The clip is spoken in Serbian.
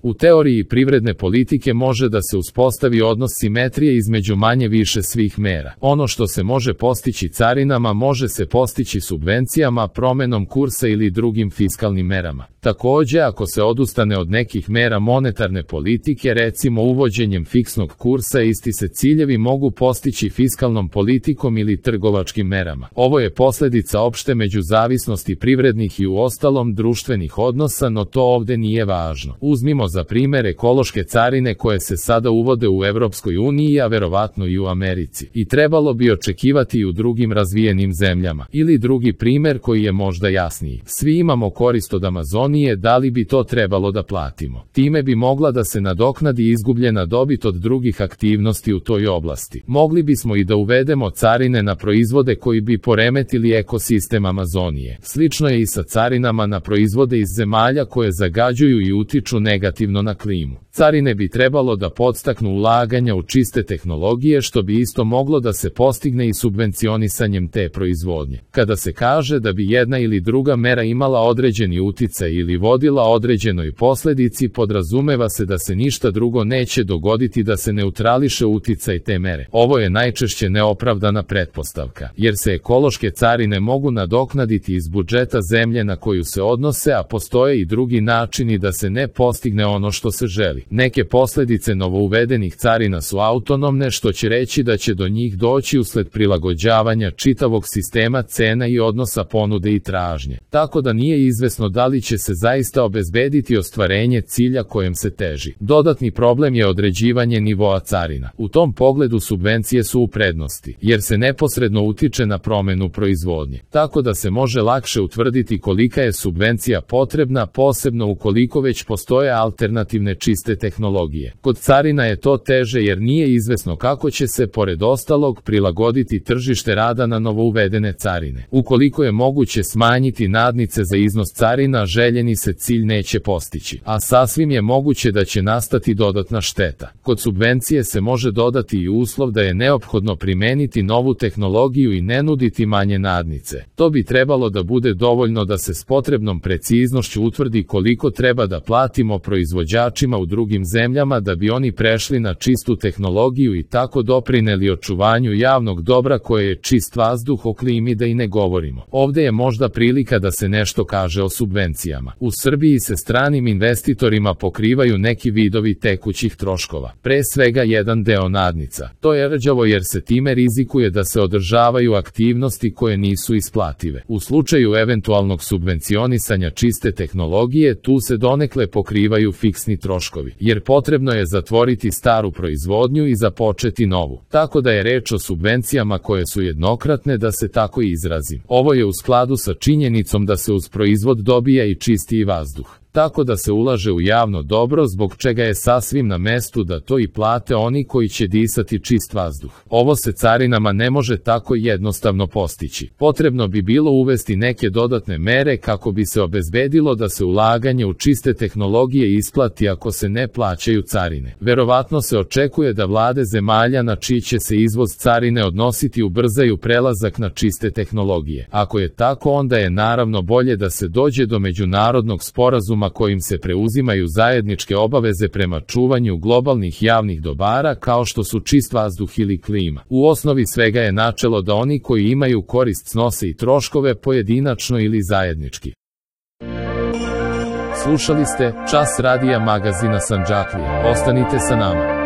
U teoriji privredne politike može da se uspostavi odnos simetrije između manje-više svih mera. Ono što se može postići carinama može se postići subvencijama, promenom kursa ili drugim fiskalnim merama. Takođe, ako se odustane od nekih mera monetarne politike, recimo uvođenjem fiksnog kursa, isti se ciljevi mogu postići fiskalnom politikom ili trgovačkim merama. Ovo je posledica opšte međuzavisnosti privrednih i uostalom društvenih odnosa, no to ovde nije važno. Uzmimo za primer ekološke carine koje se sada uvode u Evropskoj uniji, a verovatno i u Americi. I trebalo bi očekivati i u drugim razvijenim zemljama. Ili drugi primer koji je možda jasniji. Svi imamo korist od Amazonije, da li bi to trebalo da platimo? Time bi mogla da se nadoknadi izgubljena dobit od drugih aktivnosti u toj oblasti. Mogli bismo i da uvedemo carine na proizvode koji bi poremetili ekosistem Amazonije. Slično je i sa carinama na proizvode iz zemalja koje zagađuju i utiču negativno na klimu. Carine bi trebalo da podstaknu ulaganja u čiste tehnologije, što bi isto moglo da se postigne i subvencionisanjem te proizvodnje. Kada se kaže da bi jedna ili druga mera imala određeni uticaj ili vodila određenoj posledici, podrazumeva se da se ništa drugo neće dogoditi da se neutrališe uticaj te mere. Ovo je najčešće neopravdana pretpostavka, jer se ekološke carine mogu nadoknaditi iz budžeta zemlje na koju se odnose, a postoje i drugi načini da se ne postigne ono što se želi. Neke posledice novouvedenih carina su autonomne, što će reći da će do njih doći usled prilagođavanja čitavog sistema cena i odnosa ponude i tražnje. Tako da nije izvesno da li će se zaista obezbediti ostvarenje cilja kojem se teži. Dodatni problem je određivanje nivoa carina. U tom pogledu subvencije su u prednosti, jer se neposredno utiče na promenu proizvodnje. Tako da se može lakše utvrditi kolika je subvencija potrebna, posebno ukoliko već postoje alternativne čiste tehnologije. Kod carina je to teže jer nije izvesno kako će se, pored ostalog, prilagoditi tržište rada na novouvedene carine. Ukoliko je moguće smanjiti nadnice za iznos carina, željeni se cilj neće postići, a sasvim je moguće da će nastati dodatna šteta. Kod subvencije se može dodati i uslov da je neophodno primeniti novu tehnologiju i ne nuditi manje nadnice. To bi trebalo da bude dovoljno da se s potrebnom preciznošću utvrdi koliko treba da platimo proizvođačima u drugim zemljama da bi oni prešli na čistu tehnologiju i tako doprineli očuvanju javnog dobra koje je čist vazduh, o klimi da i ne govorimo. Ovde je možda prilika da se nešto kaže o subvencijama. U Srbiji se stranim investitorima pokrivaju neki vidovi tekućih troškova, pre svega jedan deo nadnica. To je rđavo jer se time rizikuje da se održavaju aktivnosti koje nisu isplative. U slučaju eventualnog subvencionisanja čiste tehnologije, tu se donekle pokrivaju fiksni troškovi, jer potrebno je zatvoriti staru proizvodnju i započeti novu. Tako da je reč o subvencijama koje su jednokratne, da se tako izrazim. Ovo je u skladu sa činjenicom da se uz proizvod dobija i čistiji vazduh. Tako da se ulaže u javno dobro, zbog čega je sasvim na mestu da to i plate oni koji će disati čist vazduh. Ovo se carinama ne može tako jednostavno postići. Potrebno bi bilo uvesti neke dodatne mere kako bi se obezbedilo da se ulaganje u čiste tehnologije isplati ako se ne plaćaju carine. Verovatno se očekuje da vlade zemalja na čiji će se izvoz carine odnositi ubrzaju prelazak na čiste tehnologije. Ako je tako, onda je naravno bolje da se dođe do međunarodnog sporazuma kojim se preuzimaju zajedničke obaveze prema čuvanju globalnih javnih dobara kao što su čist vazduh ili klima. U osnovi svega je načelo da oni koji imaju korist snose i troškove pojedinačno ili zajednički. Slušali ste Čas radija magazina Sandžaklija. Ostanite sa nama.